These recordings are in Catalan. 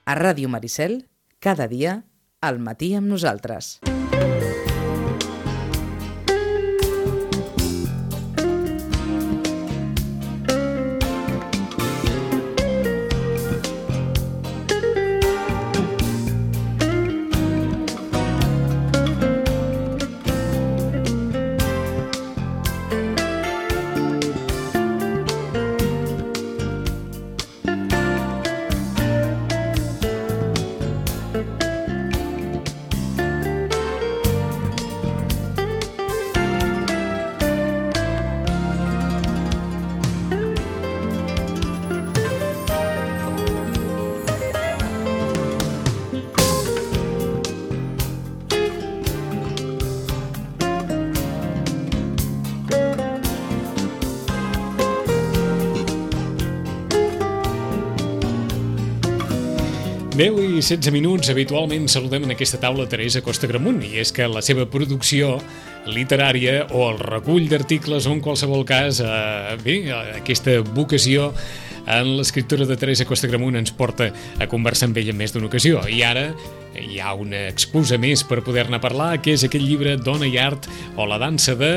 A Ràdio Maricel, cada dia, al matí amb nosaltres. I 16 minuts, habitualment saludem en aquesta taula Teresa Costa Gramunt, i és que la seva producció literària o el recull d'articles o en qualsevol cas, aquesta vocació en l'escriptura de Teresa Costa Gramunt ens porta a conversar amb ella en més d'una ocasió. I ara hi ha una excusa més per poder-ne parlar, que és aquell llibre Dona i Art o la dansa de...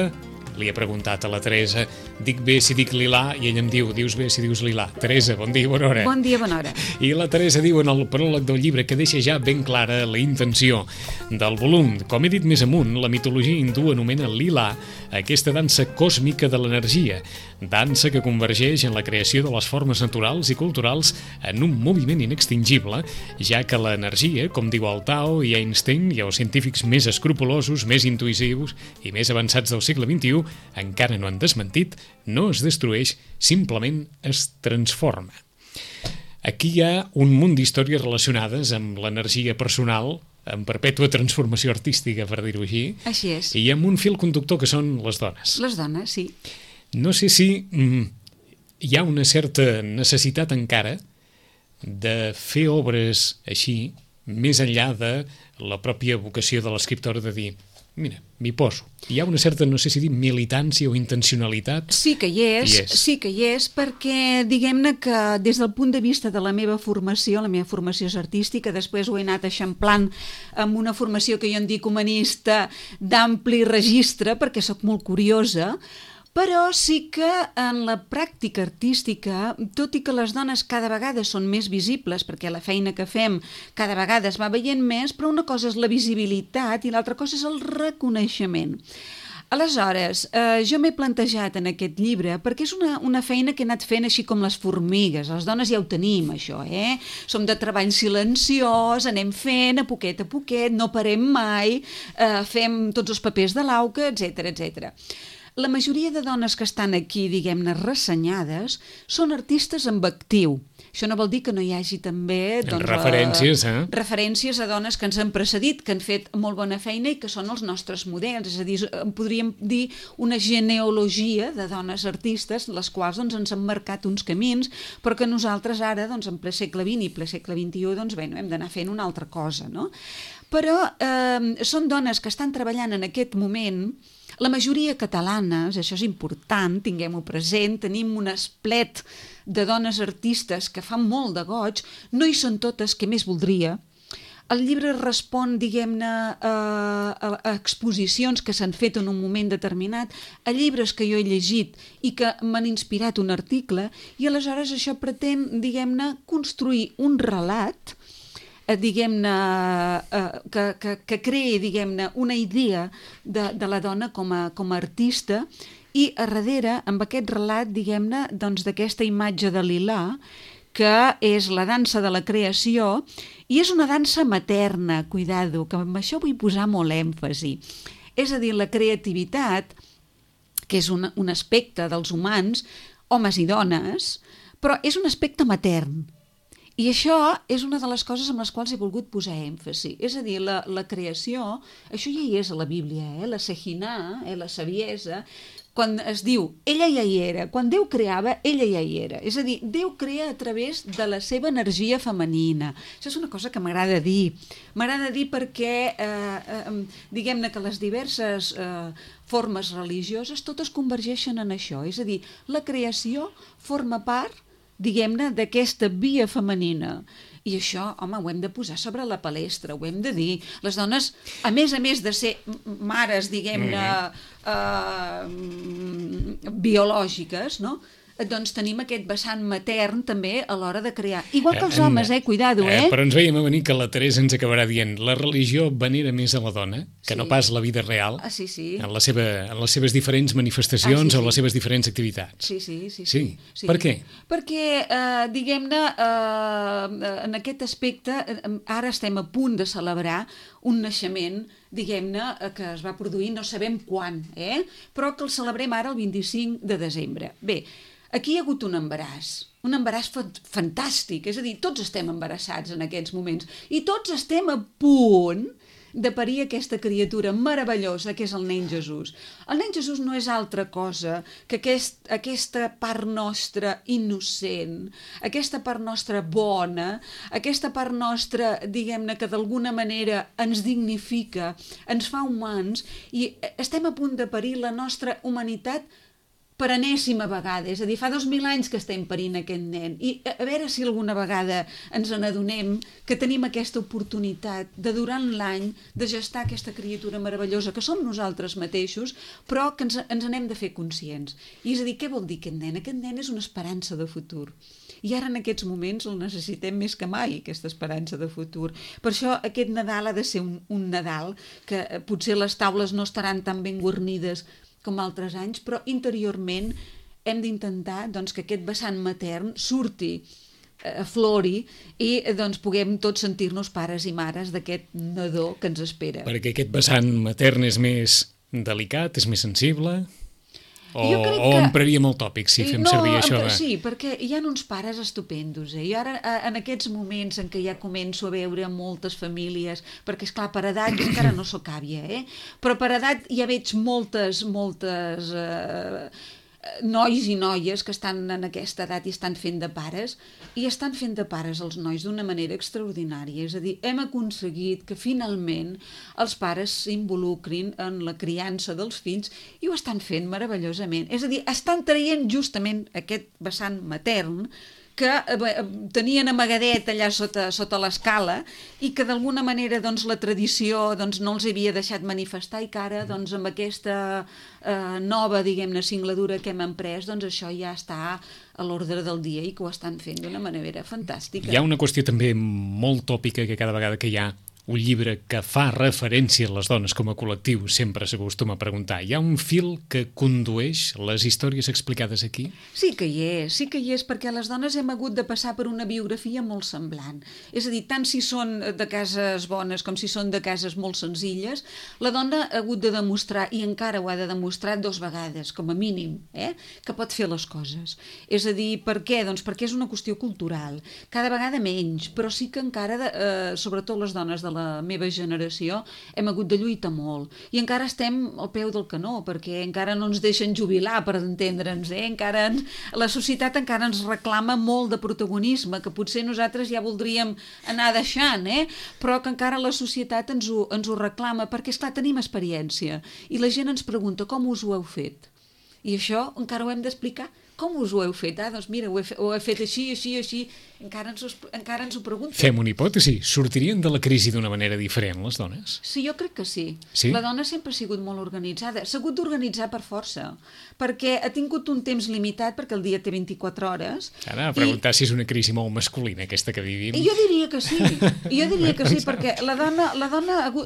Li he preguntat a la Teresa, dic bé si dic lilà, i ella em diu, dius bé si dius lilà. Teresa, bon dia, bona hora. Bon dia, bona hora. I la Teresa diu en el pròleg del llibre que deixa ja ben clara la intenció del volum. Com he dit més amunt, la mitologia hindú anomena lilà aquesta dansa còsmica de l'energia, dansa que convergeix en la creació de les formes naturals i culturals en un moviment inextingible, ja que l'energia, com diu el Tao i Einstein i els científics més escrupulosos, més intuïtius i més avançats del segle XXI, encara no han desmentit, no es destrueix, simplement es transforma. Aquí hi ha un munt d'històries relacionades amb l'energia personal, en perpètua transformació artística, per dir-ho així. Així és. I amb un fil conductor que són les dones. Les dones, sí. No sé si hi ha una certa necessitat encara de fer obres així, més enllà de la pròpia vocació de l'escriptora de dir... Mira, m'hi poso. Hi ha una certa, no sé si dir, militància o intencionalitat. Sí que hi és, perquè diguem-ne que des del punt de vista de la meva formació és artística, després ho he anat eixamplant amb una formació que jo en dic humanista d'ampli registre, perquè sóc molt curiosa, però sí que en la pràctica artística, tot i que les dones cada vegada són més visibles, perquè la feina que fem cada vegada es va veient més, però una cosa és la visibilitat i l'altra cosa és el reconeixement. Aleshores, jo m'he plantejat en aquest llibre, perquè és una feina que he anat fent així com les formigues, les dones ja ho tenim això, som de treball silenciós, anem fent a poquet, no parem mai, fem tots els papers de l'auca, etc. La majoria de dones que estan aquí, diguem-ne, ressenyades, són artistes amb actiu. Això no vol dir que no hi hagi també referències a dones que ens han precedit, que han fet molt bona feina i que són els nostres models. És a dir, podríem dir una genealogia de dones artistes, les quals ens han marcat uns camins, però que nosaltres ara, en ple segle XX i ple segle XXI, hem d'anar fent una altra cosa, no? Però són dones que estan treballant en aquest moment. La majoria catalanes, això és important, tinguem-ho present, tenim un esplet de dones artistes que fan molt de goig, no hi són totes, que més voldria. El llibre respon, diguem-ne, a exposicions que s'han fet en un moment determinat, a llibres que jo he llegit i que m'han inspirat un article, i aleshores això pretén, diguem-ne, construir un relat diguem-ne, que creï, diguem-ne, una idea de la dona com a artista, i a darrere, amb aquest relat, diguem-ne, d'aquesta imatge de Lilà, que és la dansa de la creació, i és una dansa materna, cuidado, que amb això vull posar molt èmfasi. És a dir, la creativitat, que és un aspecte dels humans, homes i dones, però és un aspecte matern. I això és una de les coses amb les quals he volgut posar èmfasi. És a dir, la creació, això ja hi és a la Bíblia, la Shekhinah, la saviesa, quan es diu, ella ja hi era, quan Déu creava, ella ja hi era. És a dir, Déu crea a través de la seva energia femenina. Això és una cosa que m'agrada dir. M'agrada dir perquè, diguem-ne que les diverses formes religioses totes convergeixen en això. És a dir, la creació forma part, diguem-ne, d'aquesta via femenina. I això, home, ho hem de posar sobre la palestra, ho hem de dir. Les dones, a més de ser mares, diguem-ne, biològiques, no?, doncs tenim aquest vessant matern també a l'hora de crear. Igual que els homes, cuidado, Però ens veiem a venir que la Teresa ens acabarà dient la religió venera més a la dona que no pas la vida real sí. en les seves diferents manifestacions o les seves diferents activitats. Sí. Per què? Perquè, diguem-ne, en aquest aspecte, ara estem a punt de celebrar un naixement, diguem-ne, que es va produir no sabem quan, però que el celebrem ara el 25 de desembre. Bé, aquí hi ha hagut un embaràs fantàstic, és a dir, tots estem embarassats en aquests moments i tots estem a punt de parir aquesta criatura meravellosa que és el nen Jesús. El nen Jesús no és altra cosa que aquesta part nostra innocent, aquesta part nostra bona, aquesta part nostra, diguem-ne, que d'alguna manera ens dignifica, ens fa humans, i estem a punt de parir la nostra humanitat per enèsima vegada, és a dir, fa 2000 anys que estem parint aquest nen, i a veure si alguna vegada ens n'adonem que tenim aquesta oportunitat de durant l'any de gestar aquesta criatura meravellosa que som nosaltres mateixos, però que ens n'hem de fer conscients. I és a dir, què vol dir aquest nen? Aquest nen és una esperança de futur. I ara en aquests moments el necessitem més que mai, aquesta esperança de futur. Per això aquest Nadal ha de ser un Nadal que potser les taules no estaran tan ben guarnides com altres anys, però interiorment hem d'intentar doncs, que aquest vessant matern surti, aflori, i doncs, puguem tots sentir-nos pares i mares d'aquest nadó que ens espera. Perquè aquest vessant matern és més delicat, és més sensible? O empraríem el tòpic si fem servir això? Sí, perquè hi ha uns pares estupendos. I ara, en aquests moments en què ja començo a veure moltes famílies, perquè, esclar, per edat, jo encara no sóc àvia, però per edat ja veig moltes nois i noies que estan en aquesta edat i estan fent de pares, i estan fent de pares els nois d'una manera extraordinària. És a dir, hem aconseguit que finalment els pares s'involucrin en la criança dels fills i ho estan fent meravellosament. És a dir, estan traient justament aquest vessant matern que tenien amagadet allà sota l'escala i que d'alguna manera doncs, la tradició doncs, no els havia deixat manifestar, i que ara doncs, amb aquesta nova, diguem-ne, singladura que hem emprès, doncs això ja està a l'ordre del dia i que ho estan fent d'una manera fantàstica. Hi ha una qüestió també molt tòpica que cada vegada que hi ha un llibre que fa referència a les dones com a col·lectiu sempre s'acostuma a preguntar, hi ha un fil que condueix les històries explicades aquí? Sí que hi és, perquè les dones hem hagut de passar per una biografia molt semblant. És a dir, tant si són de cases bones com si són de cases molt senzilles, la dona ha hagut de demostrar, i encara ho ha de demostrar 2 vegades, com a mínim, que pot fer les coses. És a dir, per què? Doncs perquè és una qüestió cultural, cada vegada menys, però sí que encara, sobretot les dones de la meva generació, hem hagut de lluitar molt. I encara estem al peu del canó, perquè encara no ens deixen jubilar, per entendre'ns. La societat encara ens reclama molt de protagonisme, que potser nosaltres ja voldríem anar deixant, però que encara la societat ens ho reclama, perquè, esclar, tenim experiència. I la gent ens pregunta, com us ho heu fet? I això encara ho hem d'explicar. Com us ho heu fet? Doncs mira, ho he fet així, encara ens ho pregunten. Fem una hipòtesi. Sortirien de la crisi d'una manera diferent, les dones? Sí, jo crec que sí. Sí? La dona sempre ha sigut molt organitzada. S'ha hagut d'organitzar per força, perquè ha tingut un temps limitat, perquè el dia té 24 hores. Ara, a preguntar si és una crisi molt masculina, aquesta que vivim. Jo diria que sí, perquè la dona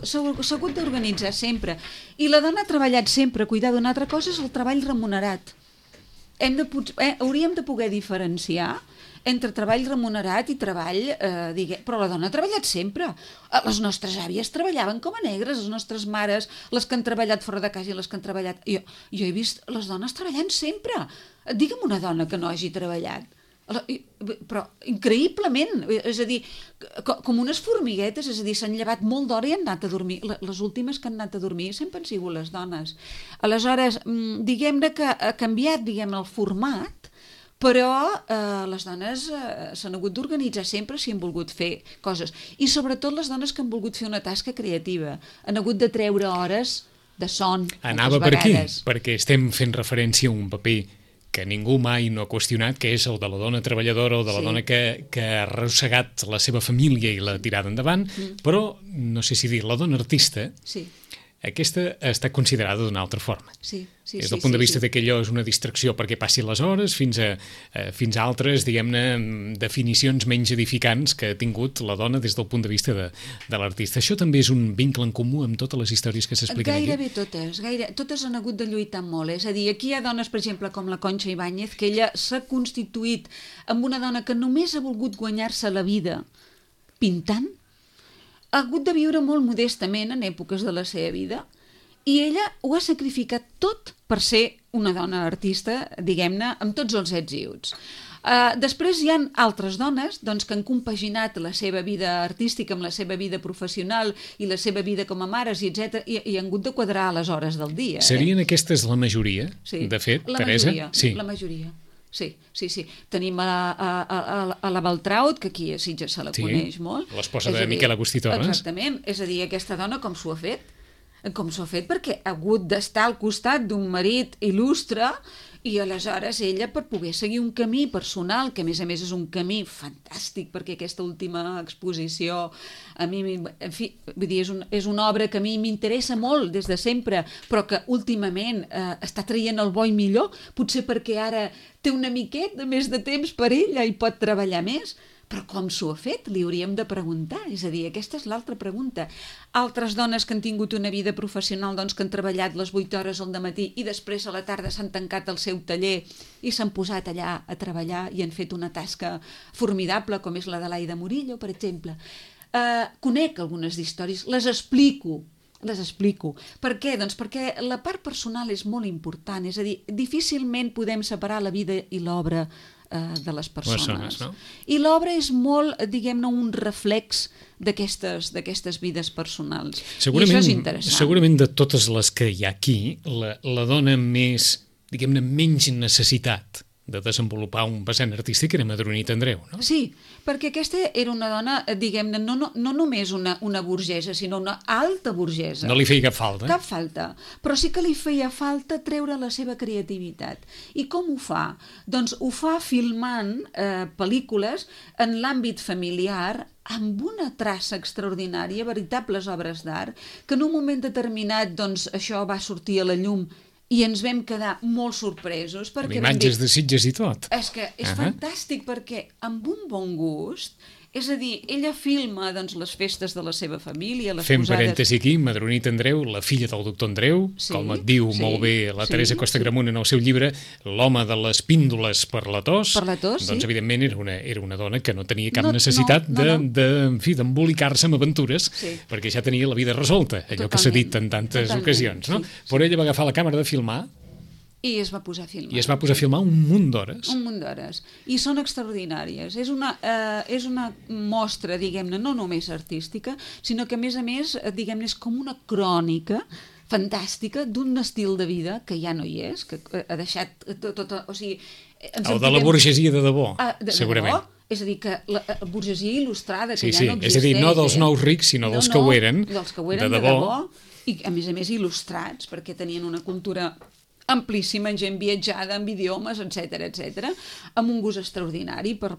s'ha hagut d'organitzar sempre. I la dona ha treballat sempre. Cuidado, una altra cosa és el treball remunerat. Hauríem de poder diferenciar entre treball remunerat i treball, però la dona ha treballat sempre. Les nostres àvies treballaven com a negres, les nostres mares, les que han treballat fora de casa i les que han treballat... Jo he vist les dones treballant sempre. Digue'm una dona que no hagi treballat. Però increïblement, és a dir, com unes formiguetes, és a dir, s'han llevat molt d'hora i han anat a dormir. Les últimes que han anat a dormir sempre han sigut les dones. Aleshores, diguem-ne que ha canviat, el format, però les dones s'han hagut d'organitzar sempre si han volgut fer coses. I sobretot les dones que han volgut fer una tasca creativa. Han hagut de treure hores de son. Anava per aquí, perquè estem fent referència a un paper que ningú mai no ha qüestionat, que és el de la dona treballadora o de la dona que ha arrossegat la seva família i l'ha tirada endavant, però no sé si dir, la dona artista, aquesta està considerada d'una altra forma. Des del punt de vista que allò és una distracció perquè passi les hores fins a altres, diguem-ne, definicions menys edificants que ha tingut la dona des del punt de vista de l'artista. Això també és un vincle en comú amb totes les històries que s'expliquen aquí? Gairebé totes han hagut de lluitar molt. És a dir, aquí hi ha dones, per exemple, com la Concha Ibáñez, que ella s'ha constituït amb una dona que només ha volgut guanyar-se la vida pintant, ha hagut de viure molt modestament en èpoques de la seva vida i ella ho ha sacrificat tot per ser una dona artista, diguem-ne, amb tots els ets i uts. Després hi ha altres dones doncs, que han compaginat la seva vida artística amb la seva vida professional i la seva vida com a mares, etc i han hagut de quadrar les hores del dia. Serien aquestes la majoria, de fet, Teresa? La majoria. Sí. Tenim a la Baltraut, que aquí a Sitges se la coneix molt. L'esposa de Miquel Agustí Torres. Exactament. És a dir, aquesta dona com s'ho ha fet? Com s'ho ha fet? Perquè ha hagut d'estar al costat d'un marit il·lustre i aleshores ella, per poder seguir un camí personal, que a més és un camí fantàstic, perquè aquesta última exposició a mi, en fi, vull dir, és una obra que a mi m'interessa molt des de sempre, però que últimament està traient el bo i millor, potser perquè ara té una miqueta més de temps per ella i pot treballar més. Però com s'ho ha fet? Li hauríem de preguntar. És a dir, aquesta és l'altra pregunta. Altres dones que han tingut una vida professional, doncs, que han treballat les 8 hores al matí i després a la tarda s'han tancat al seu taller i s'han posat allà a treballar i han fet una tasca formidable, com és la de l'Aida Murillo, per exemple. Conec algunes històries, les explico. Per què? Doncs perquè la part personal és molt important, és a dir, difícilment podem separar la vida i l'obra de les persones. No? I l'obra és molt, diguem-ne, un reflex d'aquestes vides personals. I això és interessant. Segurament de totes les que hi ha aquí, la dona més, diguem-ne, menys necessitat de desenvolupar un vessant artístic era Madronit Andreu, no? Sí, perquè aquesta era una dona, diguem-ne, no només una burgesa, sinó una alta burgesa. No li feia cap falta. Cap falta, però sí que li feia falta treure la seva creativitat. I com ho fa? Doncs ho fa filmant pel·lícules en l'àmbit familiar, amb una traça extraordinària, veritables obres d'art, que en un moment determinat doncs, això va sortir a la llum i ens vam quedar molt sorpresos. Amb imatges de Sitges i tot. És que és fantàstic perquè amb un bon gust, és a dir, ella filma doncs, les festes de la seva família, les Fem posades... parèntesi aquí, Madronit Andreu, la filla del doctor Andreu, com et diu molt bé la Teresa Costa Gramunt en el seu llibre, l'home de les píndoles per la tos, doncs evidentment era una dona que no tenia cap necessitat d'embolicar-se amb aventures, perquè ja tenia la vida resolta, allò que s'ha dit en tantes ocasions, no? Però ella va agafar la càmera de filmar i es va posar a filmar. I es va posar a filmar un munt d'hores. Un munt d'hores. I són extraordinàries. És una mostra, diguem-ne, no només artística, sinó que, a més, diguem-ne, és com una crònica fantàstica d'un estil de vida que ja no hi és, que ha deixat tot... O sigui, el de la burgesia de debò, segurament. És a dir, que la burgesia il·lustrada, que ja no existeix. És a dir, no dels nous rics, sinó dels que ho eren, de debò. I, a més, il·lustrats, perquè tenien una cultura amplíssima, gent viatjada, amb idiomes, etc, amb un gust extraordinari per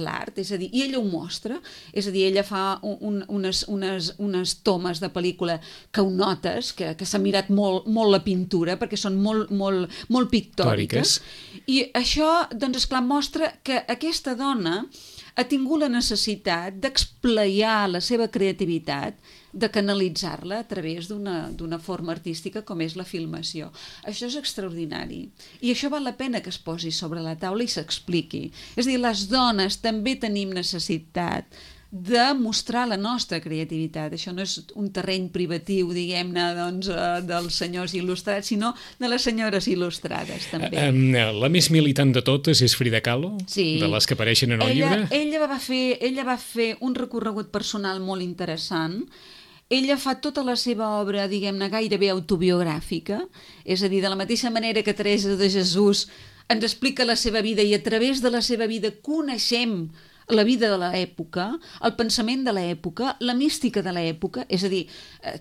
l'art, és a dir, i ella ho mostra, és a dir, ella fa unes tomes de pel·lícula que ho notes, que s'ha mirat molt la pintura, perquè són molt pictòriques, i això, doncs, esclar, mostra que aquesta dona ha tingut la necessitat d'explayar la seva creativitat, de canalitzar-la a través d'una forma artística com és la filmació. Això és extraordinari. I això val la pena que es posi sobre la taula i s'expliqui. És a dir, les dones també tenim necessitat de mostrar la nostra creativitat. Això no és un terreny privatiu, diguem-ne, doncs, dels senyors il·lustrats, sinó de les senyores il·lustrades, també. La més militant de totes és Frida Kahlo, de les que apareixen en el llibre? Ella va fer un recorregut personal molt interessant. Ella fa tota la seva obra, diguem-ne, gairebé autobiogràfica, és a dir, de la mateixa manera que Teresa de Jesús ens explica la seva vida i a través de la seva vida coneixem la vida de l'època, el pensament de l'època, la mística de l'època, és a dir,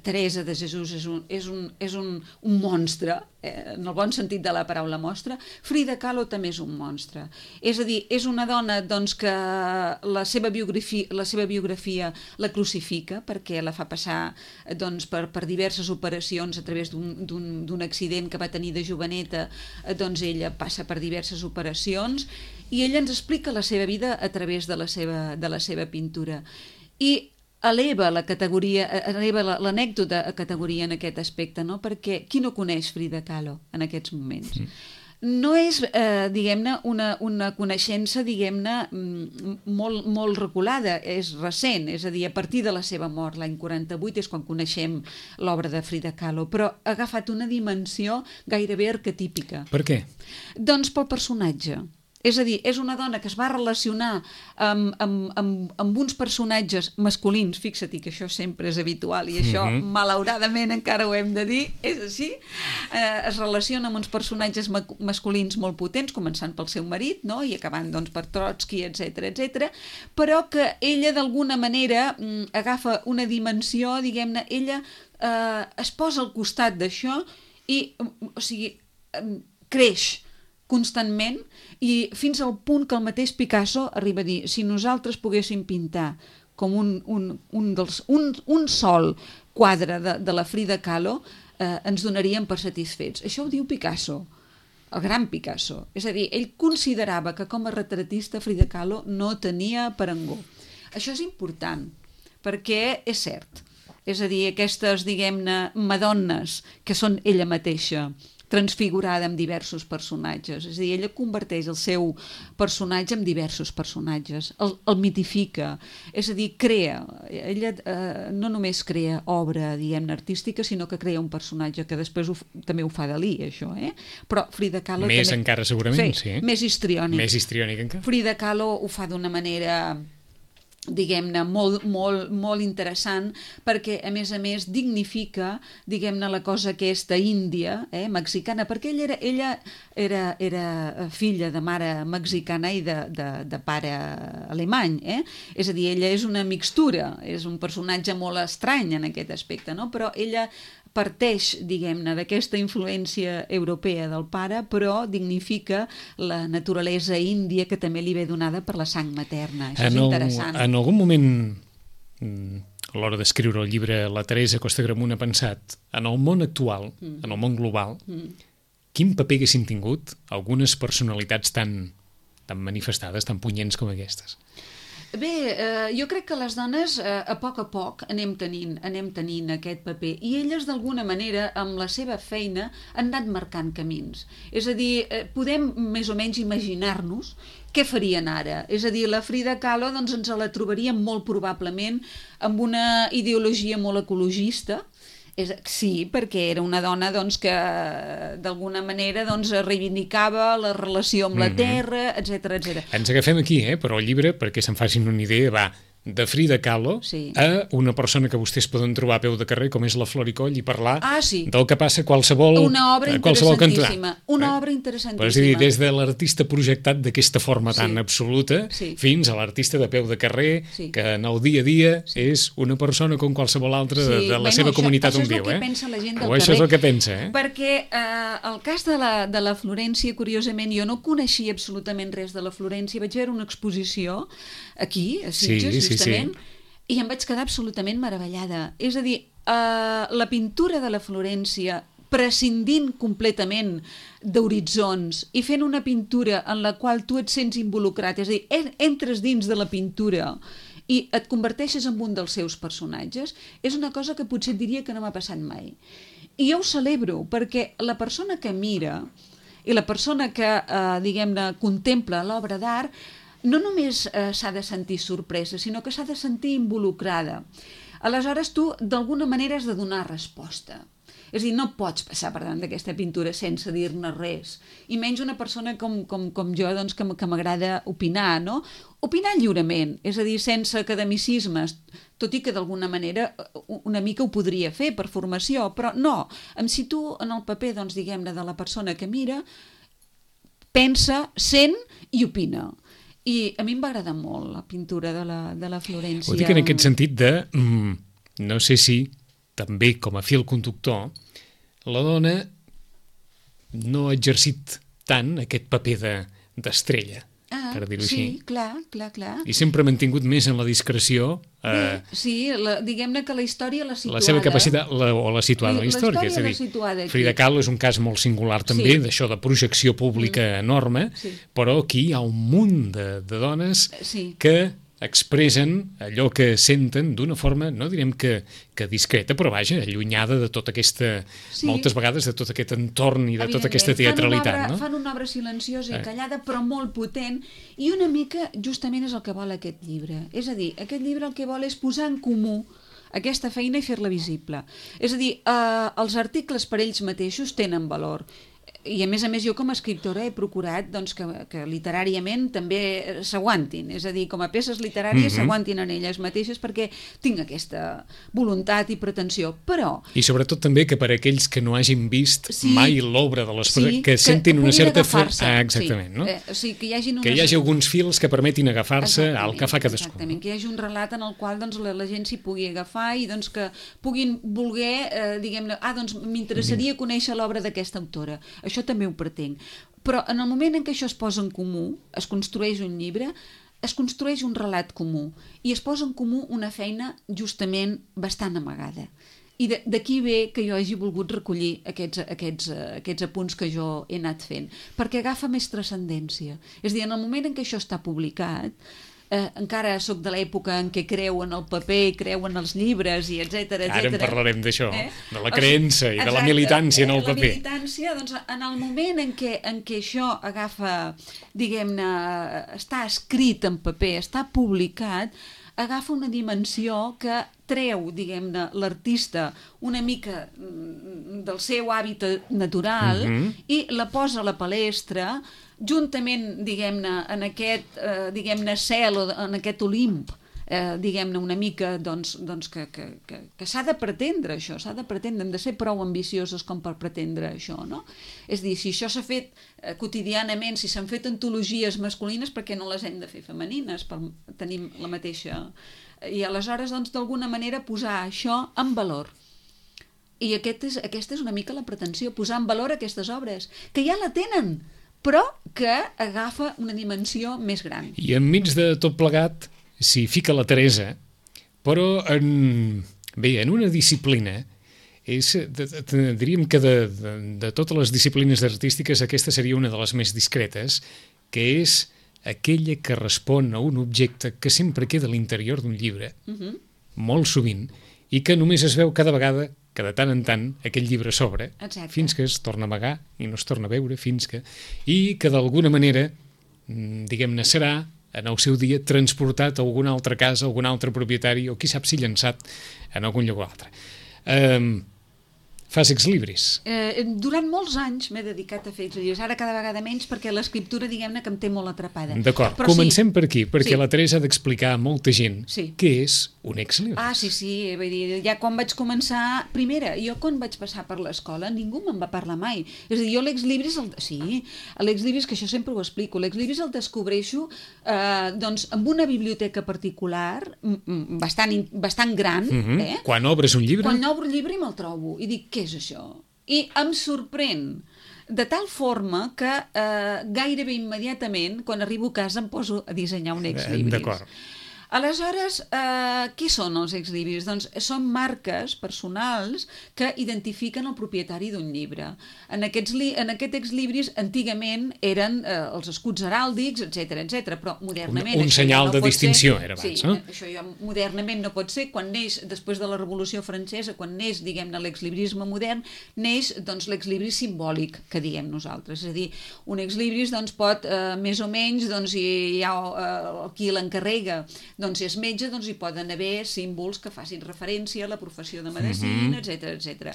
Teresa de Jesús és un monstre, en el bon sentit de la paraula monstre. Frida Kahlo també és un monstre. És a dir, és una dona doncs, que la seva biografia la crucifica perquè la fa passar doncs, per diverses operacions a través d'un accident que va tenir de joveneta. Doncs ella passa per diverses operacions i ella ens explica la seva vida a través de la seva pintura. I eleva l'anècdota a categoria en aquest aspecte, no? Perquè qui no coneix Frida Kahlo en aquests moments? No és, diguem-ne, una coneixença, diguem-ne, molt reculada, és recent, és a dir, a partir de la seva mort, l'any 48, és quan coneixem l'obra de Frida Kahlo, però ha agafat una dimensió gairebé arquetípica. Per què? Doncs pel personatge. És a dir, és una dona que es va relacionar amb uns personatges masculins, fixa-t'hi que això sempre és habitual i això malauradament encara ho hem de dir, és així, es relaciona amb uns personatges masculins molt potents, començant pel seu marit, no? I acabant doncs, per Trotsky, etc, però que ella d'alguna manera agafa una dimensió, diguem-ne, ella es posa al costat d'això i, o sigui, creix constantment i fins al punt que el mateix Picasso arriba a dir, si nosaltres poguéssim pintar com un sol quadre de la Frida Kahlo, ens donaríem per satisfets. Això ho diu Picasso, el gran Picasso. És a dir, ell considerava que com a retratista Frida Kahlo no tenia parangó. Això és important, perquè és cert. És a dir, aquestes, diguem-ne, madones que són ella mateixa, transfigurada amb diversos personatges. És a dir, ella converteix el seu personatge en diversos personatges, el mitifica, és a dir, crea. Ella no només crea obra, diguem-ne, artística, sinó que crea un personatge, que després també ho fa Dalí, això, Però Frida Kahlo més també... encara, segurament, sí. Més histriònic. Més histriònic encara. Frida Kahlo ho fa d'una manera, diguem-ne, molt interessant, perquè a més dignifica, diguem-ne, la cosa aquesta índia, mexicana, perquè ella era filla de mare mexicana i de pare alemany, és a dir, ella és una mixtura, és un personatge molt estrany en aquest aspecte, no? Però ella parteix, diguem-ne, d'aquesta influència europea del pare, però dignifica la naturalesa índia que també li ve donada per la sang materna. Això és interessant. En algun moment, a l'hora d'escriure el llibre, la Teresa Costa Gramunt ha pensat, en el món actual, en el món global, quin paper haguessin tingut algunes personalitats tan manifestades, tan punyents com aquestes? Bé, jo crec que les dones a poc anem tenint aquest paper i elles d'alguna manera amb la seva feina han anat marcant camins. És a dir, podem més o menys imaginar-nos què farien ara. És a dir, la Frida Kahlo doncs, ens la trobaríem molt probablement amb una ideologia molt ecologista. Sí, perquè era una dona doncs, que d'alguna manera doncs, reivindicava la relació amb la terra, etc. Ens agafem aquí, però el llibre, perquè se'n facin una idea, va de Frida Kahlo a una persona que vostès poden trobar a peu de carrer, com és la Floricoll, i parlar del que passa a qualsevol cantó. Una obra interessantíssima. Una obra interessantíssima. És a dir, des de l'artista projectat d'aquesta forma tan absoluta fins a l'artista de peu de carrer, que en el dia a dia és una persona com qualsevol altra de la seva comunitat on viu. Això és el que pensa la gent del carrer. O això és el que pensa, Perquè el cas de la Florència, curiosament, jo no coneixia absolutament res de la Florència. Vaig veure una exposició aquí, a Sitges, justament, i em vaig quedar absolutament meravellada. És a dir, la pintura de la Florència, prescindint completament d'horitzons i fent una pintura en la qual tu et sents involucrat, és a dir, entres dins de la pintura i et converteixes en un dels seus personatges, és una cosa que potser et diria que no m'ha passat mai. I jo ho celebro, perquè la persona que mira i la persona que, diguem-ne, contempla l'obra d'art no només s'ha de sentir sorpresa, sinó que s'ha de sentir involucrada. Aleshores, tu, d'alguna manera, has de donar resposta. És a dir, no pots passar per davant d'aquesta pintura sense dir-ne res. I menys una persona com jo, doncs, que m'agrada opinar, no? Opinar lliurement, és a dir, sense academicismes, tot i que d'alguna manera una mica ho podria fer per formació, però no, em situo en el paper, doncs, diguem-ne, de la persona que mira, pensa, sent i opina. I a mi em va agradar molt la pintura de la Florència. Ho dic en aquest sentit de, no sé si, també com a fil conductor, la dona no ha exercit tant aquest paper d'estrella, per dir-ho així. Sí, clar. I sempre ha mantingut més en la discreció. Sí, diguem-ne que la història l'ha situada. La seva capacitat, o l'ha situada en la història. La història l'ha situada aquí. Frida Kahlo és un cas molt singular també, d'això de projecció pública enorme, però aquí hi ha un munt de dones que expressen allò que senten d'una forma, no direm que discreta, però vaja, allunyada de tota aquesta, moltes vegades, de tot aquest entorn i de tota aquesta teatralitat. Fan una obra silenciosa i callada, però molt potent, i una mica justament és el que vol aquest llibre. És a dir, aquest llibre el que vol és posar en comú aquesta feina i fer-la visible. És a dir, els articles per ells mateixos tenen valor. I a més jo com a escriptora he procurat doncs, que literàriament també s'aguantin, és a dir, com a peces literàries s'aguantin en elles mateixes perquè tinc aquesta voluntat i pretensió, però... I sobretot també que per aquells que no hagin vist mai l'obra de les persones, que sentin una certa força... Exactament, no? Que hi hagi alguns fils que permetin agafar-se al que fa cadascú. Exactament, que hi hagi un relat en el qual doncs, la gent s'hi pugui agafar i doncs, que puguin voler, diguem-ne, doncs m'interessaria conèixer l'obra d'aquesta autora. Això també ho pretenc. Però en el moment en què això es posa en comú, es construeix un llibre, es construeix un relat comú i es posa en comú una feina justament bastant amagada. I d'aquí ve que jo hagi volgut recollir aquests apunts que jo he anat fent, perquè agafa més transcendència. És a dir, en el moment en què això està publicat, encara sóc de l'època en què creu en el paper, creu en els llibres i etcètera. Ara en parlarem d'això, de la creença i de la militància en el paper. La militància, doncs, en el moment en què això agafa, diguem-ne, està escrit en paper, està publicat, agafa una dimensió que treu, diguem-ne, l'artista una mica del seu hàbitat natural i la posa a la palestra juntament, diguem-ne, en aquest cel o en aquest Olimp, diguem-ne, una mica doncs, que s'ha de pretendre això, s'ha de pretendre, hem de ser prou ambiciosos com per pretendre això, no? És a dir, si això s'ha fet quotidianament, si s'han fet antologies masculines, per què no les hem de fer femenines per tenir la mateixa... I aleshores, doncs, d'alguna manera posar això en valor. I aquesta és una mica la pretensió, posar en valor aquestes obres, que ja la tenen, però que agafa una dimensió més gran. I enmig de tot plegat s'hi fica la Teresa, però en una disciplina, diríem que de totes les disciplines artístiques aquesta seria una de les més discretes, que és aquella que respon a un objecte que sempre queda a l'interior d'un llibre, molt sovint, i que només es veu cada vegada que de tant en tant aquell llibre s'obre, fins que es torna a amagar i no es torna a veure, i que d'alguna manera, diguem-ne, serà en el seu dia transportat a alguna altra casa, a algun altre propietari, o qui sap si llançat en algun lloc o altre. Fas exlibris? Durant molts anys m'he dedicat a fer exlibris, ara cada vegada menys perquè l'escriptura, diguem-ne, que em té molt atrapada. D'acord, comencem per aquí, perquè la Teresa ha d'explicar a molta gent què és un exlibris. Sí, vull dir, ja quan vaig començar, primera, jo quan vaig passar per l'escola ningú me'n va parlar mai. És a dir, jo l'exlibris, l'exlibris, que això sempre ho explico, l'exlibris el descobreixo doncs amb una biblioteca particular, bastant gran. Quan obres un llibre? Quan obro un llibre i me'l trobo, i dic, què és això? I em sorprèn de tal forma que gairebé immediatament, quan arribo a casa, em poso a dissenyar un exlibris. D'acord. Aleshores, què són els exlibris? Doncs són marques personals que identifiquen el propietari d'un llibre. En aquest exlibris antigament eren els escuts heràldics, etc, però modernament... Un senyal de distinció era abans, no? Sí, això ja modernament no pot ser. Quan neix, després de la Revolució Francesa, quan neix, diguem-ne, l'exlibrisme modern, neix doncs, l'exlibris simbòlic, que diem nosaltres. És a dir, un exlibris doncs, pot, més o menys, doncs, hi ha qui l'encarrega, doncs si és metge, doncs hi poden haver símbols que facin referència a la professió de medicina, etc.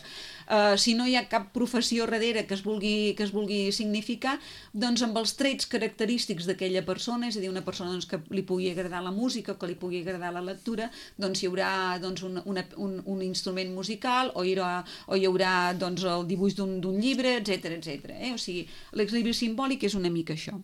Si no hi ha cap professió darrere que es vulgui significar, doncs amb els trets característics d'aquella persona, és a dir, una persona doncs, que li pugui agradar la música, que li pugui agradar la lectura, doncs hi haurà doncs, un instrument musical o hi haurà doncs, el dibuix d'un llibre, etc. O sigui, l'exlibris simbòlic és una mica això.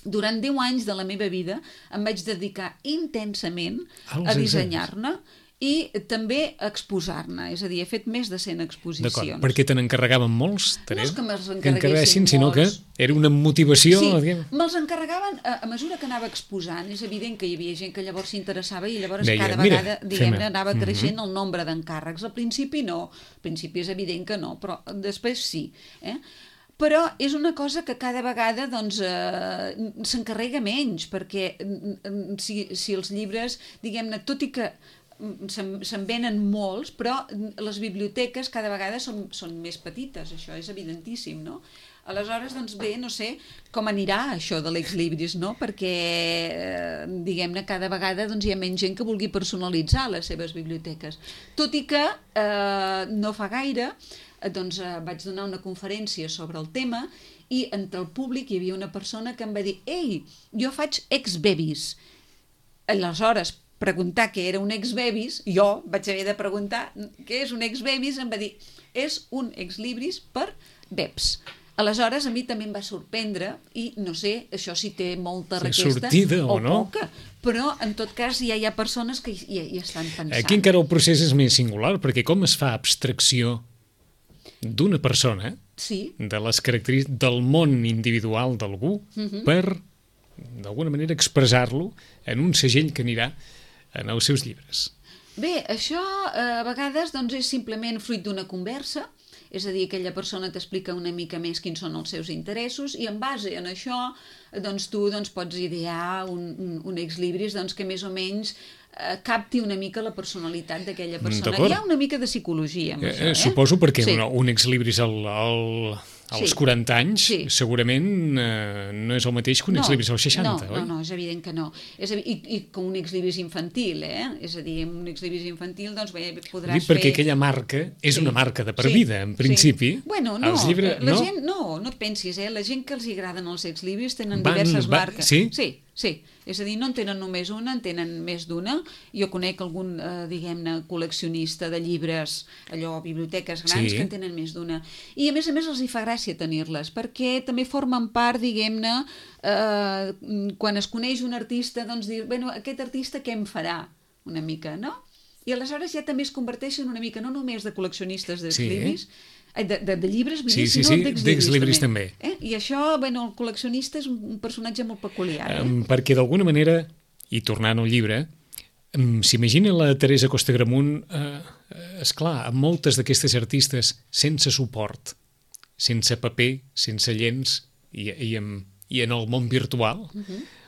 durant 10 anys de la meva vida em vaig dedicar intensament Als a dissenyar-ne i també a exposar-ne, és a dir, he fet més de 100 exposicions. D'acord, perquè te n'encarregaven molts, No és que me'ls que encarreguessin, encarreguessin sinó que molts. era una motivació... Sí, diguem. me'ls encarregaven a mesura que anava exposant. És evident que hi havia gent que llavors s'interessava i llavors Deia, cada "Mira, vegada, fem-ho." diguem-ne, anava creixent el nombre d'encàrrecs. Al principi no, al principi és evident que no, però després sí. Però és una cosa que cada vegada doncs, s'encarrega menys, perquè si els llibres, diguem-ne, tot i que se'n venen molts, però les biblioteques cada vegada són més petites, això és evidentíssim, no? Aleshores, doncs bé, no sé com anirà això de l'exlibris, no? Perquè, diguem-ne, cada vegada doncs, hi ha menys gent que vulgui personalitzar les seves biblioteques. Tot i que no fa gaire doncs, vaig donar una conferència sobre el tema i entre el públic hi havia una persona que em va dir «Ei, jo faig ex-bebis». Aleshores, preguntar què era un ex-bebis, jo vaig haver de preguntar què és un ex-bebis, em va dir és un ex-libris per beps. Aleshores, a mi també em va sorprendre i no sé, això si té molta requesta sortida o no, poca, però en tot cas ja hi ha persones que hi estan pensant. Aquí encara el procés és més singular, perquè com es fa abstracció d'una persona, sí, de les característiques del món individual d'algú, per, d'alguna manera, expressar-lo en un segell que anirà en els seus llibres. Bé, això a vegades doncs, és simplement fruit d'una conversa, és a dir, aquella persona t'explica una mica més quins són els seus interessos i en base en això doncs, tu pots idear un ex-libris que més o menys capti una mica la personalitat d'aquella persona. Hi ha una mica de psicologia amb això. Suposo perquè sí. un ex-libris als 40 anys segurament no és el mateix que un ex-libris als 60, oi? No, és evident que no. I com un ex-libris infantil, És a dir, un ex-libris infantil, doncs bé, podràs fer... Perquè aquella marca és una marca de per vida, en principi. Bueno, no, els llibres, la gent, no et pensis, la gent que els agraden els ex-libris tenen diverses marques. Sí? Sí, és a dir, no en tenen només una, en tenen més d'una. Jo conec algun, diguem-ne, col·leccionista de llibres, allò, biblioteques grans, que en tenen més d'una. I a més els hi fa gràcia tenir-les, perquè també formen part, diguem-ne, quan es coneix un artista, doncs dir, bueno, aquest artista què em farà? Una mica, no? I aleshores ja també es converteixen una mica, no només de col·leccionistes d'ex-libris, de llibres, sinó d'ex-libris també. I això, bueno, el col·leccionista és un personatge molt peculiar. Perquè d'alguna manera, i tornant al llibre, s'imagina la Teresa Costa Gramunt, esclar, amb moltes d'aquestes artistes sense suport, sense paper, sense llenç i en el món virtual,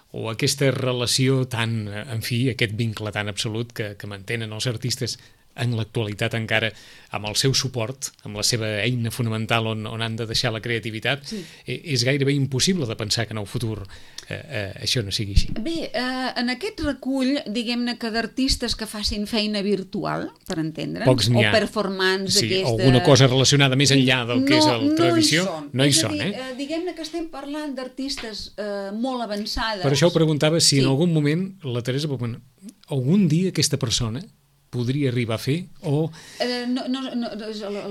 o aquesta relació tan, en fi, aquest vincle tan absolut que mantenen els artistes en l'actualitat encara amb el seu suport, amb la seva eina fonamental on han de deixar la creativitat, és gairebé impossible de pensar que en el futur això no sigui així. Bé, en aquest recull, diguem-ne que d'artistes que facin feina virtual, per entendre'ns, pocs n'hi ha. O performants d'aquesta... alguna cosa relacionada més enllà del que és la tradició, no hi són. Diguem-ne que estem parlant d'artistes molt avançades. Per això ho preguntava si en algun moment la Teresa, algun dia aquesta persona podria arribar a fer o...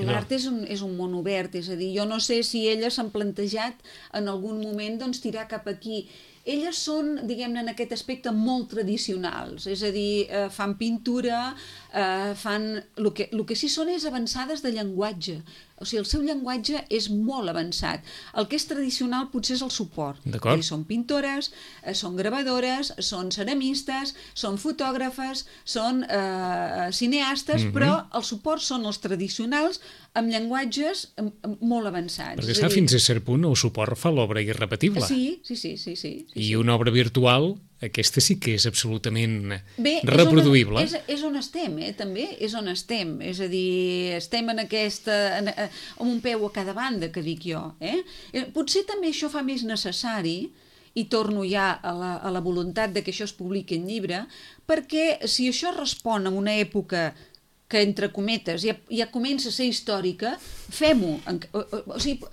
L'art és un món obert, és a dir, jo no sé si elles s'han plantejat en algun moment tirar cap aquí. Elles són, diguem-ne, en aquest aspecte molt tradicionals, és a dir, fan pintura, fan... El que sí són és avançades de llenguatge, o sigui, el seu llenguatge és molt avançat. El que és tradicional potser és el suport. D'acord. Són pintores, són gravadores, són ceramistes, són fotògrafes, són cineastes, però el suport són els tradicionals amb llenguatges molt avançats. Perquè esclar, fins a cert punt el suport fa l'obra irrepetible. Sí. I una obra virtual, aquesta sí que és absolutament reproduïble. És on estem, també, és on estem. És a dir, estem en amb un peu a cada banda, que dic jo. Potser també això fa més necessari, i torno ja a la voluntat de que això es publiqui en llibre, perquè si això respon a una època que, entre cometes, ja comença a ser històrica, fem-ho. O sigui,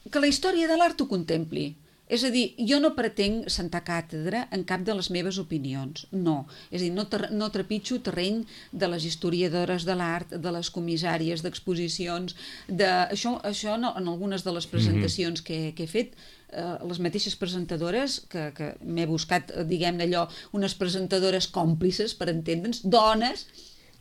que la història de l'art ho contempli. És a dir, jo no pretenc sentar càtedra en cap de les meves opinions, no. És a dir, no trepitjo terreny de les historiadores de l'art, de les comissàries d'exposicions, això no, en algunes de les presentacions que he fet, les mateixes presentadores, que m'he buscat, diguem-ne allò, unes presentadores còmplices, per entendre'ns, dones,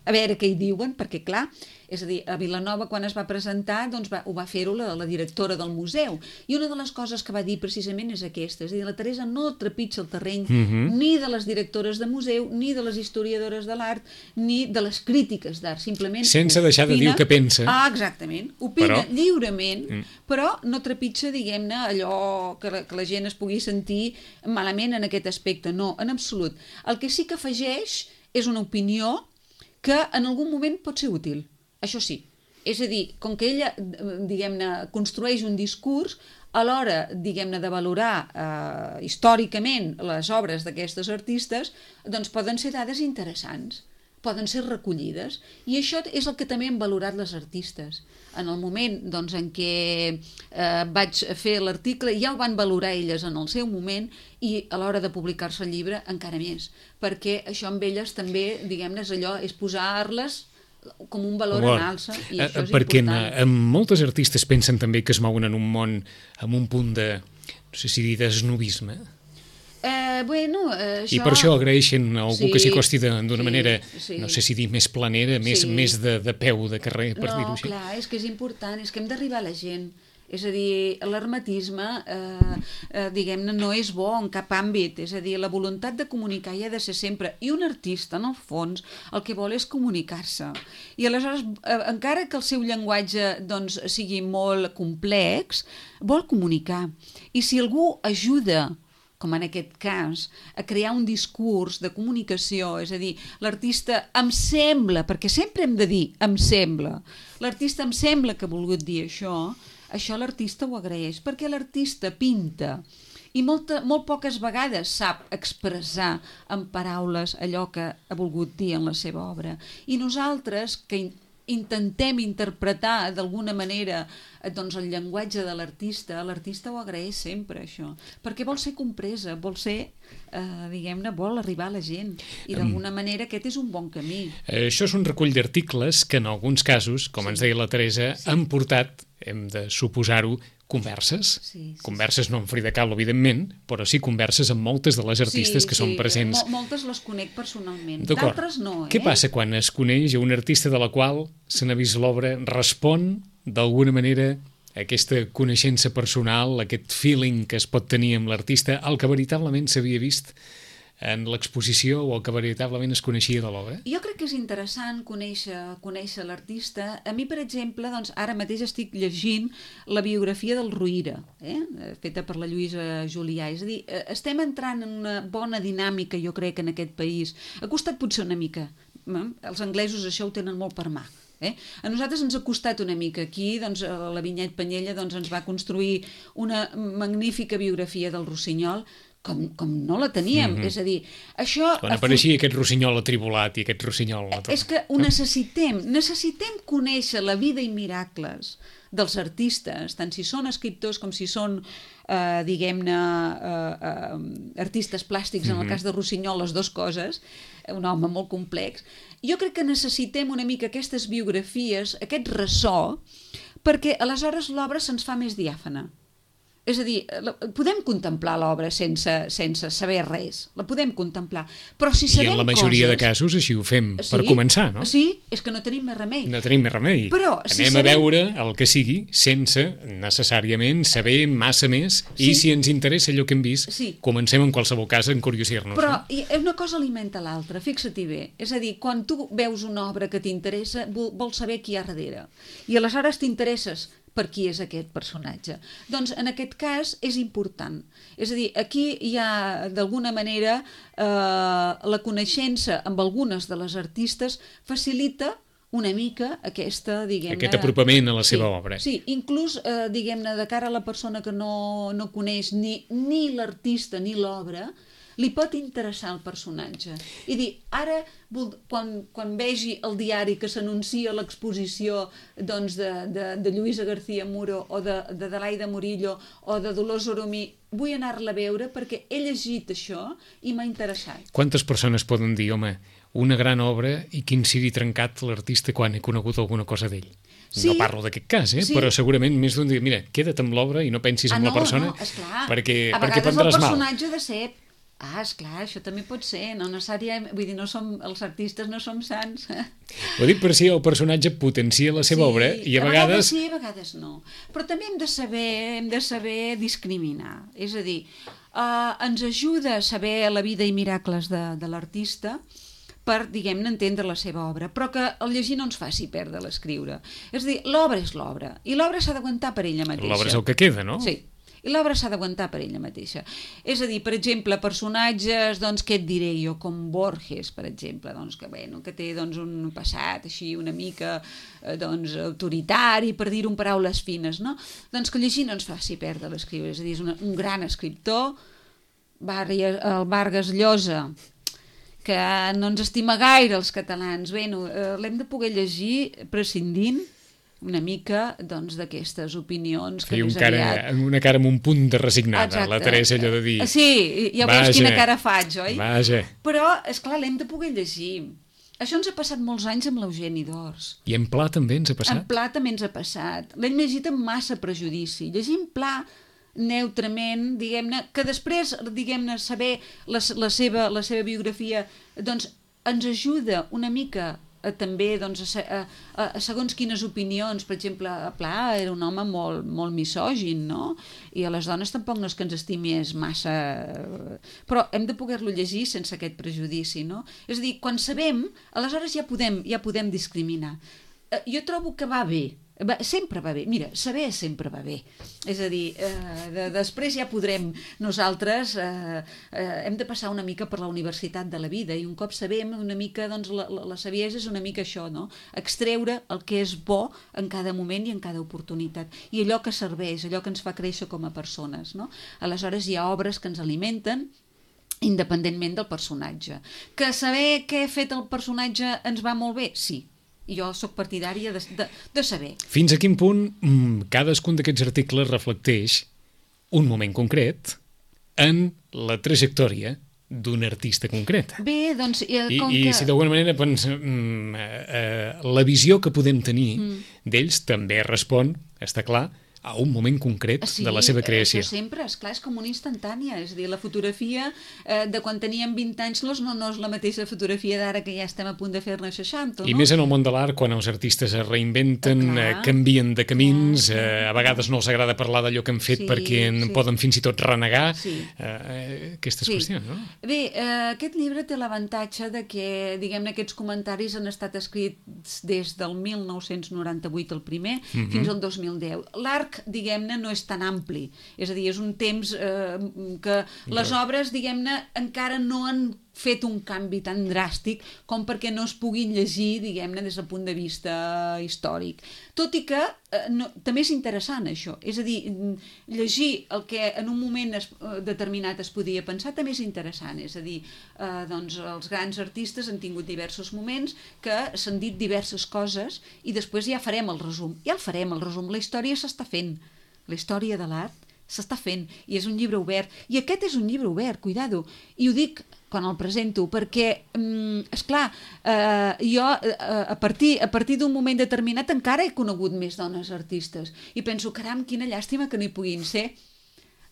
a veure què hi diuen, perquè clar, és a dir, a Vilanova quan es va presentar doncs ho va fer-ho la directora del museu, i una de les coses que va dir precisament és aquesta, és a dir, la Teresa no trepitja el terreny ni de les directores de museu, ni de les historiadores de l'art, ni de les crítiques d'art, simplement sense deixar de dir el que pensa. Exactament, opina lliurement, però no trepitja, diguem-ne, allò que la gent es pugui sentir malament en aquest aspecte, no, en absolut. El que sí que afegeix és una opinió que en algun moment pot ser útil, això sí. És a dir, com que ella, diguem-ne, construeix un discurs, a l'hora, diguem-ne, de valorar històricament les obres d'aquestes artistes, doncs poden ser dades interessants, poden ser recollides, i això és el que també han valorat les artistes. En el moment doncs, en què vaig fer l'article, ja ho van valorar elles en el seu moment, i a l'hora de publicar-se el llibre encara més, perquè això amb elles també, diguem-ne, és posar-les com un valor en alça, i això és perquè important. Moltes artistes pensen també que es mouen en un món amb un punt de, no sé si dir, d'esnobisme. I per això agraeixen a algú que s'hi acosti d'una manera, no sé si dir, més planera, més de peu de carrer, per dir-ho així. No, clar, és que és important, és que hem d'arribar a la gent. És a dir, l'hermetisme, diguem-ne, no és bo en cap àmbit. És a dir, la voluntat de comunicar hi ha de ser sempre. I un artista, en el fons, el que vol és comunicar-se. I aleshores, encara que el seu llenguatge doncs, sigui molt complex, vol comunicar. I si algú ajuda, com en aquest cas, a crear un discurs de comunicació, és a dir, l'artista em sembla, perquè sempre hem de dir em sembla, l'artista em sembla que ha volgut dir això l'artista ho agraeix, perquè l'artista pinta i molt poques vegades sap expressar en paraules allò que ha volgut dir en la seva obra. I nosaltres, que intentem interpretar d'alguna manera doncs, el llenguatge de l'artista ho agraeix sempre, això, perquè vol ser compresa, vol ser, diguem-ne, vol arribar a la gent, i d'alguna manera aquest és un bon camí. Això és un recull d'articles que en alguns casos, com ens deia la Teresa, han portat, hem de suposar-ho, converses. Converses no amb Frida Kahlo, evidentment, però sí converses amb moltes de les artistes que són presents. Moltes les conec personalment, d'altres no. Què passa quan es coneix un artista de la qual se n'ha vist l'obra, respon d'alguna manera a aquesta coneixença personal, aquest feeling que es pot tenir amb l'artista, el que veritablement s'havia vist en l'exposició o el que veritablement es coneixia de l'obra? Jo crec que és interessant conèixer l'artista. A mi, per exemple, doncs, ara mateix estic llegint la biografia del Rovira, feta per la Lluïsa Julià. És a dir, estem entrant en una bona dinàmica, jo crec, en aquest país. Ha costat potser una mica. Els anglesos això ho tenen molt per mà. A nosaltres ens ha costat una mica. Aquí doncs, la Vinyet Penyella doncs, ens va construir una magnífica biografia del Rossinyol com no la teníem, és a dir, això... Quan apareixia aquest Rossinyol atribulat i aquest Rossinyol... És que ho necessitem conèixer la vida i miracles dels artistes, tant si són escriptors com si són, diguem-ne, artistes plàstics, en el cas de Rossinyol, les dues coses, un home molt complex. Jo crec que necessitem una mica aquestes biografies, aquest ressò, perquè aleshores l'obra se'ns fa més diàfana. És a dir, podem contemplar l'obra sense saber res, la podem contemplar, però si sabem coses... I en la majoria de casos així ho fem, per començar, no? Sí, és que no tenim més remei. No tenim més remei. Però, anem a veure el que sigui, sense necessàriament saber massa més, i si ens interessa allò que hem vist, comencem en qualsevol cas a encuriosir-nos. Però una cosa alimenta l'altra, fixa-t'hi bé. És a dir, quan tu veus una obra que t'interessa, vols saber qui hi ha darrere. I aleshores t'interesses per qui és aquest personatge. Doncs en aquest cas és important. És a dir, aquí hi ha d'alguna manera la coneixença amb algunes de les artistes facilita una mica aquesta, diguem-ne... Aquest apropament a la seva obra. Sí, inclús, diguem-ne, de cara a la persona que no coneix ni l'artista ni l'obra, li pot interessar el personatge. I dir, ara, quan vegi el diari que s'anuncia l'exposició doncs, de Lluïsa García Muro o d'Adelaida Murillo o de Dolors Oromí, vull anar-la a veure perquè he llegit això i m'ha interessat. Quantes persones poden dir, home, una gran obra i quin sigui trencat l'artista quan he conegut alguna cosa d'ell? Sí. No parlo d'aquest cas, Sí. però segurament més d'un dia, mira, queda't amb l'obra i no pensis en la persona, esclar. perquè a vegades prendràs el mal. personatge ha de ser... esclar, això també pot ser, no necessàriament, vull dir, els artistes no som sants. Ho dic per si el personatge potencia la seva obra i a vegades... sí, a vegades no. Però també hem de saber discriminar. És a dir, ens ajuda a saber la vida i miracles de l'artista per, diguem-ne, entendre la seva obra, però que el llegir no ens faci perdre l'escriure. És a dir, l'obra és l'obra, i l'obra s'ha d'aguantar per ella mateixa. L'obra és el que queda, no? Sí, i l'obra s'ha d'aguantar per ella mateixa. És a dir, per exemple, personatges, doncs, què et diré jo, com Borges, per exemple, doncs, que té doncs, un passat així una mica doncs, autoritari, per dir-ho en paraules fines, no? Doncs que llegir no ens faci perdre l'escriure. És a dir, és un gran escriptor, el Vargas Llosa, que no ens estima gaire els catalans. Bé, l'hem de poder llegir prescindint una mica doncs, d'aquestes opinions que més aviat... Una cara amb un punt de resignada. Exacte. La Teresa allò de dir... Sí, ja veus quina cara faig, oi? Vaja. Però, esclar, l'hem de poder llegir. Això ens ha passat molts anys amb l'Eugeni d'Ors. I en Pla també ens ha passat? En Pla també ens ha passat. L'hem llegit amb massa prejudici. Llegim Pla neutrament, diguem-ne, que després, diguem-ne, saber la seva biografia, doncs ens ajuda una mica també doncs, a segons quines opinions. Per exemple, Pla era un home molt misògin, no? I a les dones tampoc no és que ens estimés massa... Però hem de poder-lo llegir sense aquest prejudici, no? És a dir, quan sabem, aleshores ja podem discriminar. Jo trobo que va bé. Sempre va bé. Mira, saber sempre va bé. És a dir, després ja podrem nosaltres hem de passar una mica per la universitat de la vida i un cop sabem una mica, doncs la saviesa és una mica això, no? Extreure el que és bo en cada moment i en cada oportunitat i allò que serveix, allò que ens fa créixer com a persones, no? Aleshores hi ha obres que ens alimenten independentment del personatge. Que saber què ha fet el personatge ens va molt bé? Sí. Jo sóc partidària de saber. Fins a quin punt cadascun d'aquests articles reflecteix un moment concret en la trajectòria d'un artista concret. Bé, doncs... I si d'alguna manera la visió que podem tenir d'ells també respon, està clar, a un moment concret de la seva creació. Sí, sempre, esclar, és com una instantània. És a dir, la fotografia de quan teníem 20 anys no és la mateixa fotografia d'ara que ja estem a punt de fer-ne 60, no? I més en el món de l'art, quan els artistes es reinventen, canvien de camins, a vegades no els agrada parlar d'allò que han fet perquè poden fins i tot renegar aquestes qüestions, no? Bé, aquest llibre té l'avantatge de que, diguem-ne, aquests comentaris han estat escrits des del 1998, el primer, fins al 2010. L'arc, diguem-ne, no és tan ampli. És a dir, és un temps que les obres, diguem-ne, encara no han fet un canvi tan dràstic com perquè no es puguin llegir, diguem-ne, des del punt de vista històric. Tot i que també és interessant, això. És a dir, llegir el que en un moment determinat es podia pensar també és interessant. És a dir, doncs els grans artistes han tingut diversos moments que s'han dit diverses coses i després ja farem el resum. Ja el farem, el resum. La història s'està fent. La història de l'art s'està fent i és un llibre obert. I aquest és un llibre obert, cuidado. I ho dic quan el presento, perquè, esclar, jo a partir d'un moment determinat encara he conegut més dones artistes i penso, caram, quina llàstima que no hi puguin ser,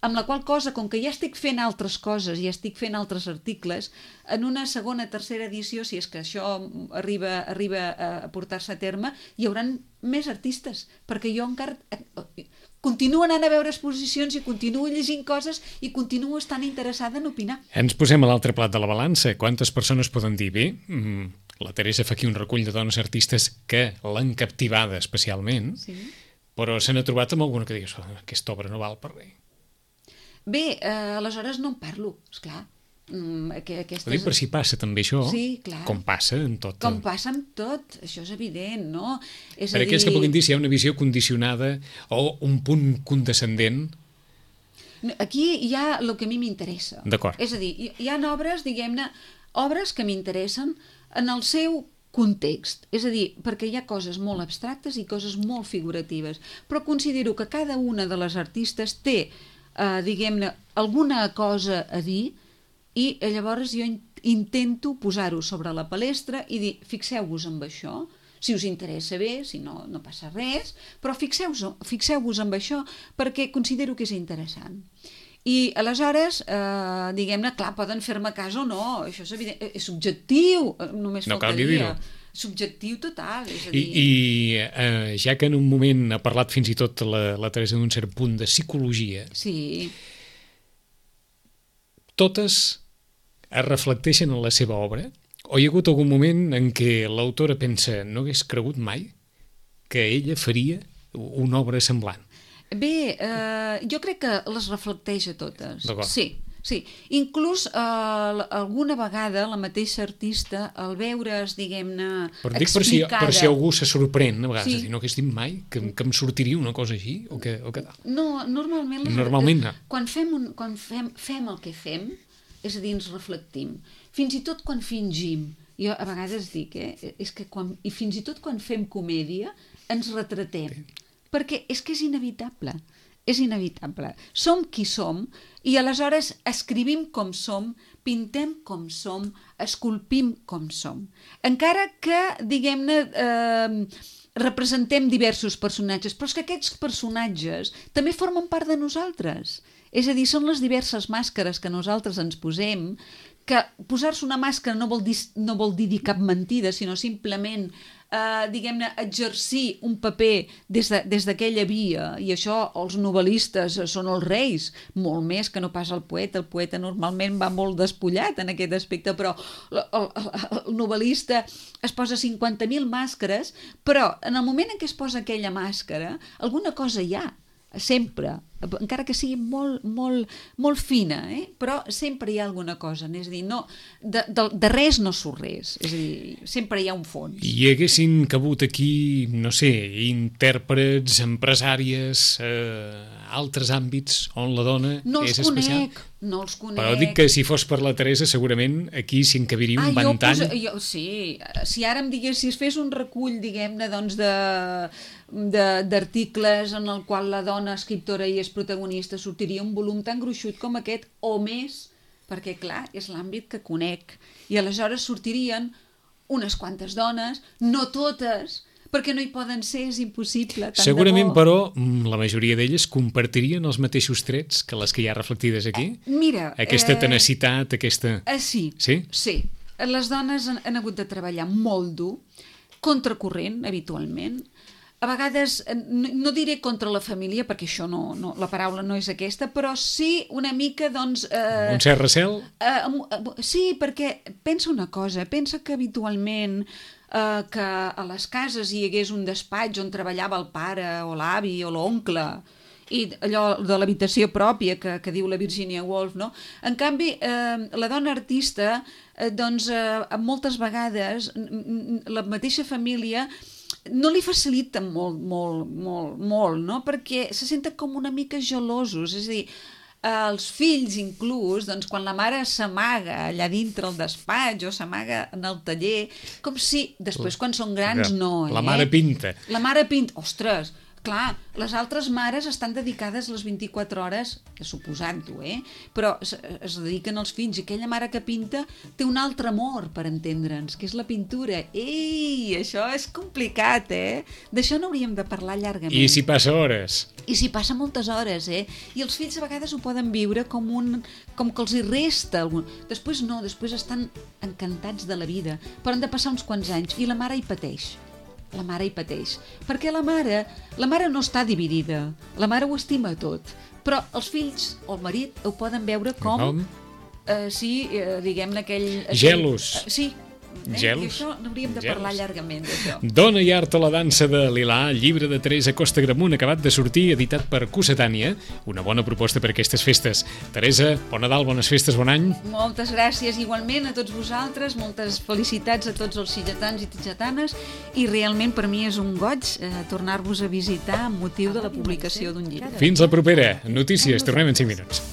amb la qual cosa, com que ja estic fent altres coses i estic fent altres articles, en una segona, tercera edició, si és que això arriba a portar-se a terme, hi haurà més artistes, perquè jo encara... continuo anant a veure exposicions i continuo llegint coses i continuo estant interessada en opinar. Ens posem a l'altre plat de la balança. Quantes persones poden dir, bé, la Teresa fa aquí un recull de dones artistes que l'han captivada especialment, però se n'ha trobat amb alguna que digues, aquesta obra no val per res. Bé, aleshores no en parlo, esclar. Ho dic per si passa també això, com passa en tot. Com passa en tot, això és evident, no? Per aquells que puguin dir si hi ha una visió condicionada o un punt condescendent. Aquí hi ha el que a mi m'interessa. D'acord. És a dir, hi ha obres, diguem-ne, obres que m'interessen en el seu context, és a dir, perquè hi ha coses molt abstractes i coses molt figuratives, però considero que cada una de les artistes té, diguem-ne, alguna cosa a dir i llavors jo intento posar-ho sobre la palestra i dir, fixeu-vos en això, si us interessa bé, si no, no passa res, però fixeu-vos en això perquè considero que és interessant. I aleshores, diguem-ne, clar, poden fer-me cas o no, això és evident, és subjectiu, només faltaria. Subjectiu total, és a dir... I ja que en un moment ha parlat fins i tot la Teresa d'un cert punt de psicologia, sí. Totes es reflecteixen en la seva obra? O hi ha hagut algun moment en què l'autora pensa no hagués cregut mai que ella faria una obra semblant? Bé, jo crec que les reflecteix a totes. D'acord. Sí. Inclús alguna vegada la mateixa artista, al veure's, diguem-ne, explicada... Per si algú se sorprèn, a vegades, sí. no hagués dit mai que em sortiria una cosa així? O que tal? No, normalment no. Quan fem el que fem, és a dir, ens reflectim. Fins i tot quan fingim, jo a vegades dic, és que i fins i tot quan fem comèdia ens retratem, perquè és que és inevitable. Som qui som i aleshores escrivim com som, pintem com som, esculpim com som. Encara que, diguem-ne, representem diversos personatges, però és que aquests personatges també formen part de nosaltres. És a dir, són les diverses màscares que nosaltres ens posem, que posar-se una màscara no vol dir cap mentida, sinó simplement, diguem-ne, exercir un paper des d'aquella via, i això els novel·listes són els reis, molt més que no pas el poeta normalment va molt despullat en aquest aspecte, però el novel·lista es posa 50.000 màscares, però en el moment en què es posa aquella màscara, alguna cosa hi ha, sempre, encara que sigui molt fina, però sempre hi ha alguna cosa, és a dir, no, de res no surt res, és a dir, sempre hi ha un fons. I haguessin cabut aquí, no sé, intèrprets, empresàries, altres àmbits on la dona és especial? No els conec. Però dic que si fos per la Teresa, segurament aquí s'hi encabiria un ventall. Sí, si ara em digués, si es fes un recull, diguem-ne, doncs d'articles en el qual la dona escriptora i és protagonista, sortiria un volum tan gruixut com aquest o més, perquè clar, és l'àmbit que conec, i aleshores sortirien unes quantes dones, no totes, perquè no hi poden ser, és impossible. Segurament, però, la majoria d'elles compartirien els mateixos trets que les que hi ha reflectides aquí? Mira... Aquesta tenacitat, aquesta... Sí. Les dones han hagut de treballar molt dur, contracorrent, habitualment. A vegades, no diré contra la família, perquè això la paraula no és aquesta, però sí una mica, doncs... Un cert recel? Sí, perquè pensa una cosa, pensa que habitualment que a les cases hi hagués un despatx on treballava el pare o l'avi o l'oncle, i allò de l'habitació pròpia que diu la Virginia Woolf, no? En canvi, la dona artista, doncs, moltes vegades la mateixa família no li facilita molt, no? Perquè se senten com una mica gelosos, és a dir, els fills inclús, doncs, quan la mare s'amaga allà dintre el despatx o s'amaga en el taller, com si després quan són grans no, La mare pinta. La mare pinta, ostres, clar, les altres mares estan dedicades les 24 hores, suposant-ho, però es dediquen als fills, i aquella mare que pinta té un altre amor, per entendre'ns, que és la pintura. Ei, això és complicat, D'això no hauríem de parlar llargament. I s'hi passa hores. I s'hi passa moltes hores, I els fills a vegades ho poden viure com que els hi resta. Després no, després estan encantats de la vida, però han de passar uns quants anys, i la mare hi pateix. Perquè la mare no està dividida, la mare ho estima tot, però els fills o el marit ho poden veure com diguem-ne aquell... Gelos. Sí, Gels. I això n'hauríem de parlar llargament, d'això. Dona i art o la dansa de Lilà, llibre de Teresa Costa Gramunt, acabat de sortir, editat per Cossetània. Una bona proposta per aquestes festes. Teresa, bon Nadal, bones festes, bon any. Moltes gràcies igualment a tots vosaltres, moltes felicitats a tots els sitgetans i sitgetanes, i realment per mi és un goig tornar-vos a visitar amb motiu de la publicació d'un llibre. Fins la propera. Notícies, tornem en 5 minuts.